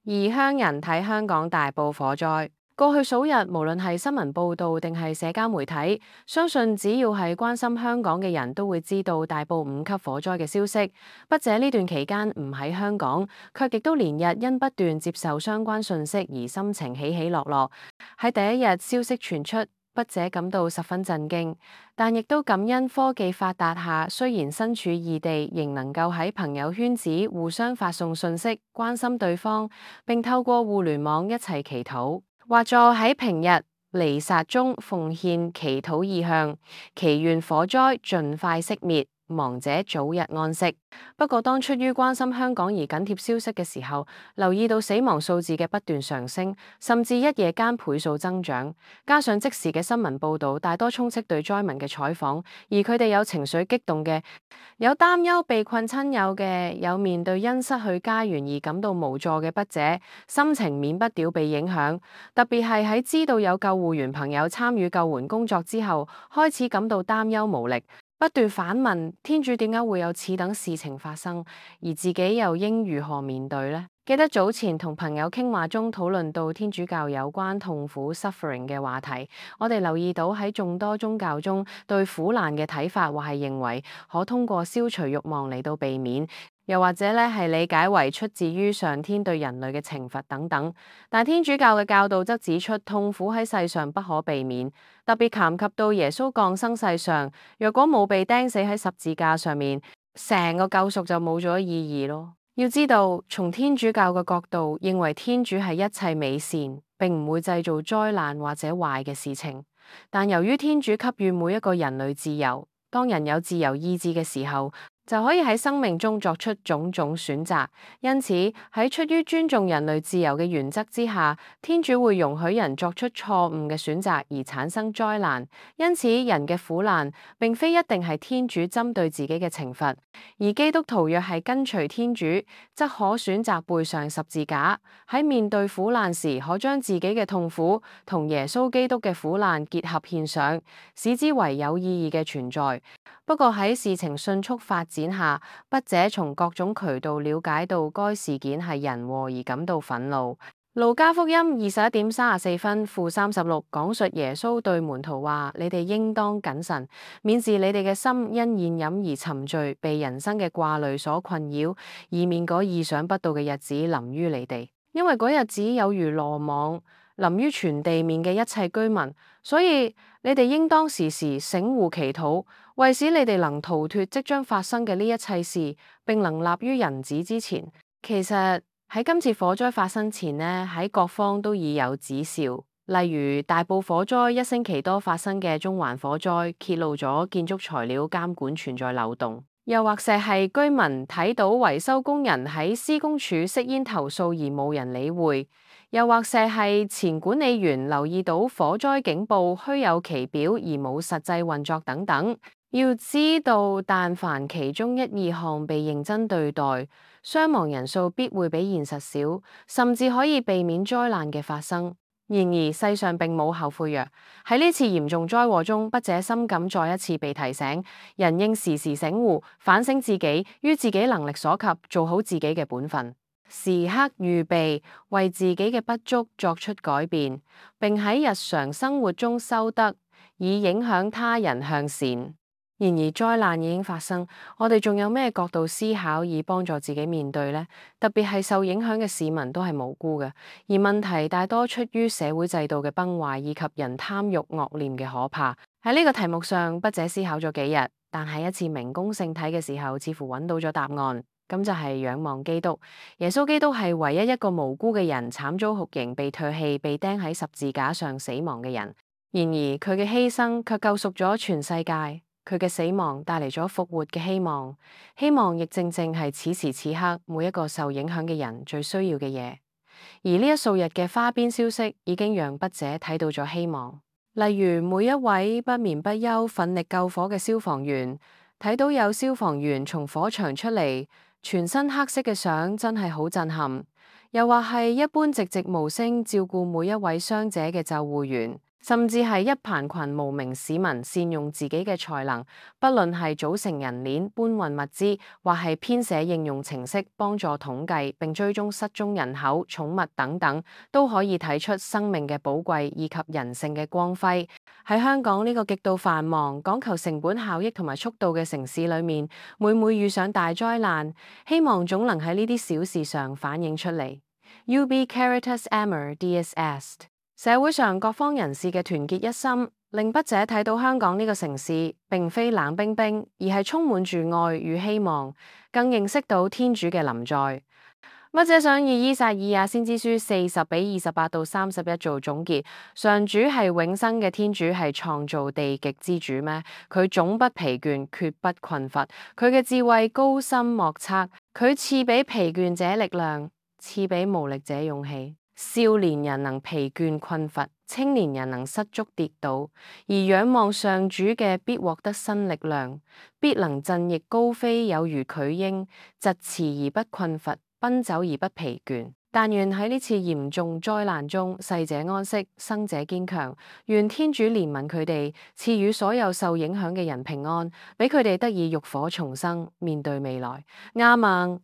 異鄉人睇香港大埔火災，過去數日，無論係新聞報道定係社交媒體，相信只要係關心香港嘅人都會知道大埔5級火災嘅消息。筆者呢段期間唔喺香港，卻亦都連日因不斷接受相關訊息而心情起起落落。喺第一日消息傳出，筆者感到十分震驚，但亦都感恩科技發達下，雖然身處異地，仍能夠喺朋友圈子互相發送訊息，關心對方，並透過互聯網一齊祈禱。或在喺平日彌撒中奉獻祈禱意向，祈願火災盡快熄滅，亡者早日安息。不過當出於關心香港而緊貼消息嘅時候，留意到死亡數字嘅不斷上升，甚至一夜間倍數增長，加上即時嘅新聞報導大多充斥對災民嘅採訪，而佢哋有情緒激動嘅，有擔憂被困親友嘅，有面對因失去家園而感到無助嘅筆者，心情免不了被影響。特別係喺知道有救護員朋友參與救援工作之後，開始感到擔憂無力，不斷反問天主點解會有此等事情發生，而自己又應如何面對呢？記得早前同朋友傾話中討論到天主教有關痛苦 suffering 嘅話題，我哋留意到喺眾多宗教中對苦難嘅睇法，或係認為可通過消除慾望嚟到避免，又或者係理解為出自於上天對人類嘅懲罰等等。但天主教嘅教導則指出，痛苦喺世上不可避免，特別談及到耶穌降生世上，若果冇被釘死喺十字架上面，成個救贖就冇咗意義咯。要知道，從天主教嘅角度，認為天主係一切美善，並唔會製造災難或者壞嘅事情。但由於天主給予每一個人類自由，當人有自由意志嘅時候，就可以喺生命中作出種種選擇。因此，喺出於尊重人類自由嘅原則之下，天主會容許人作出錯誤嘅選擇而產生災難。因此，人嘅苦難並非一定係天主針對自己嘅懲罰。而基督徒若係跟隨天主，則可選擇背上十字架，喺面對苦難時，可將自己嘅痛苦同耶穌基督嘅苦難結合獻上，使之為有意義嘅存在。不過喺事情迅速發展下，筆者從各種渠道了解到該事件係人禍而感到憤怒。路加福音21:34負36講述耶穌對門徒話：你哋應當謹慎，免致你哋嘅心因宴飲而沉醉，被人生嘅掛慮所困擾，以免嗰意想不到嘅日子臨於你哋。因為嗰日子有如羅網臨於全地面嘅一切居民，所以你哋應當時時醒寤祈禱，為使你哋能逃脫即將發生嘅呢一切事，並能立於人子之前。其實喺今次火災發生前呢，喺各方都已有指兆，例如大埔火災1星期多發生嘅中環火災，揭露咗建築材料監管存在漏洞。又或者係居民睇到維修工人喺施工處熄煙投訴而冇人理會，又或者係前管理員留意到火災警報虛有其表而冇實際運作等等。要知道，但凡其中一二項被認真對待，傷亡人數必會比現實少，甚至可以避免災難嘅發生。然而世上並冇後悔藥。喺呢次嚴重災禍中，筆者深感再一次被提醒，人應時時醒寤，反省自己，於自己能力所及，做好自己嘅本分，時刻預備為自己嘅不足作出改變，並喺日常生活中修德，以影響他人向善。然而災難已經發生，我哋仲有咩角度思考以幫助自己面對呢？特別係受影響嘅市民都係無辜嘅，而問題大多出於社會制度嘅崩壞以及人貪慾惡念嘅可怕。喺呢個題目上，筆者思考咗幾日，但喺一次明供聖體嘅時候，似乎揾到咗答案。咁就係仰望基督。耶穌基督係唯一一個無辜嘅人，慘遭酷刑、被唾棄、被釘喺十字架上死亡嘅人。然而佢嘅犧牲卻救贖咗全世界。佢嘅死亡帶嚟咗復活嘅希望，希望亦正正係此時此刻每一個受影響嘅人最需要嘅嘢。而呢一數日嘅花邊消息已經讓筆者睇到咗希望，例如每一位不眠不休奮力救火嘅消防員，睇到有消防員從火場出嚟，全身黑色嘅相真係好震撼。又或係一般寂寂無聲照顧每一位傷者嘅救護員，甚至係一棚群無名市民善用自己嘅才能，不論係組成人鏈、搬運物資，或係編寫應用程式幫助統計並追蹤失蹤人口、寵物等等，都可以睇出生命嘅寶貴以及人性嘅光輝。喺香港呢個極度繁忙、講求成本效益同埋速度嘅城市裏面，每每遇上大災難，希望總能喺呢啲小事上反映出嚟。Ubi Caritas Amor Dies Est。社會上各方人士嘅團結一心，令筆者睇到香港呢個城市並非冷冰冰，而係充滿住愛與希望，更認識到天主嘅臨在。筆者想以依撒意亞先知書40:28-31做總結：上主係永生嘅天主，係創造地極之主咩？佢總不疲倦，決不困乏。佢嘅智慧高深莫測，佢賜俾疲倦者力量，賜俾無力者勇氣。少年人能疲倦困乏，青年人能失足跌倒，而仰望上主嘅必獲得新力量，必能振翼高飛，有如巨鷹，疾馳而不困乏，奔走而不疲倦。但願喺呢次嚴重災難中，逝者安息，生者堅強。願天主憐憫佢哋，賜予所有受影響嘅人平安，俾佢哋得以浴火重生，面對未來。亞孟。